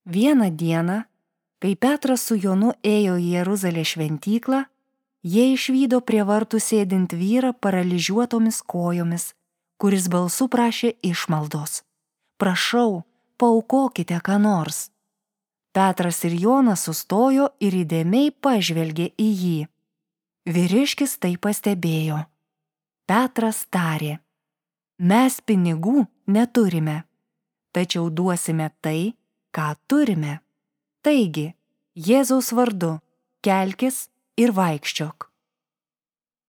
Vieną dieną, kai Petras su Jonu ėjo į Jeruzalės šventyklą, jie išvydo prie vartų sėdint vyrą paralyžiuotomis kojomis, kuris balsu prašė išmaldos. Prašau, paaukokite ką nors. Petras ir Jonas sustojo ir įdėmiai pažvelgė į jį. Vyriškis tai pastebėjo. Petras tarė: mes pinigų neturime, tačiau duosime tai, ką turime. Taigi, Jėzaus vardu, kelkis ir vaikščiok.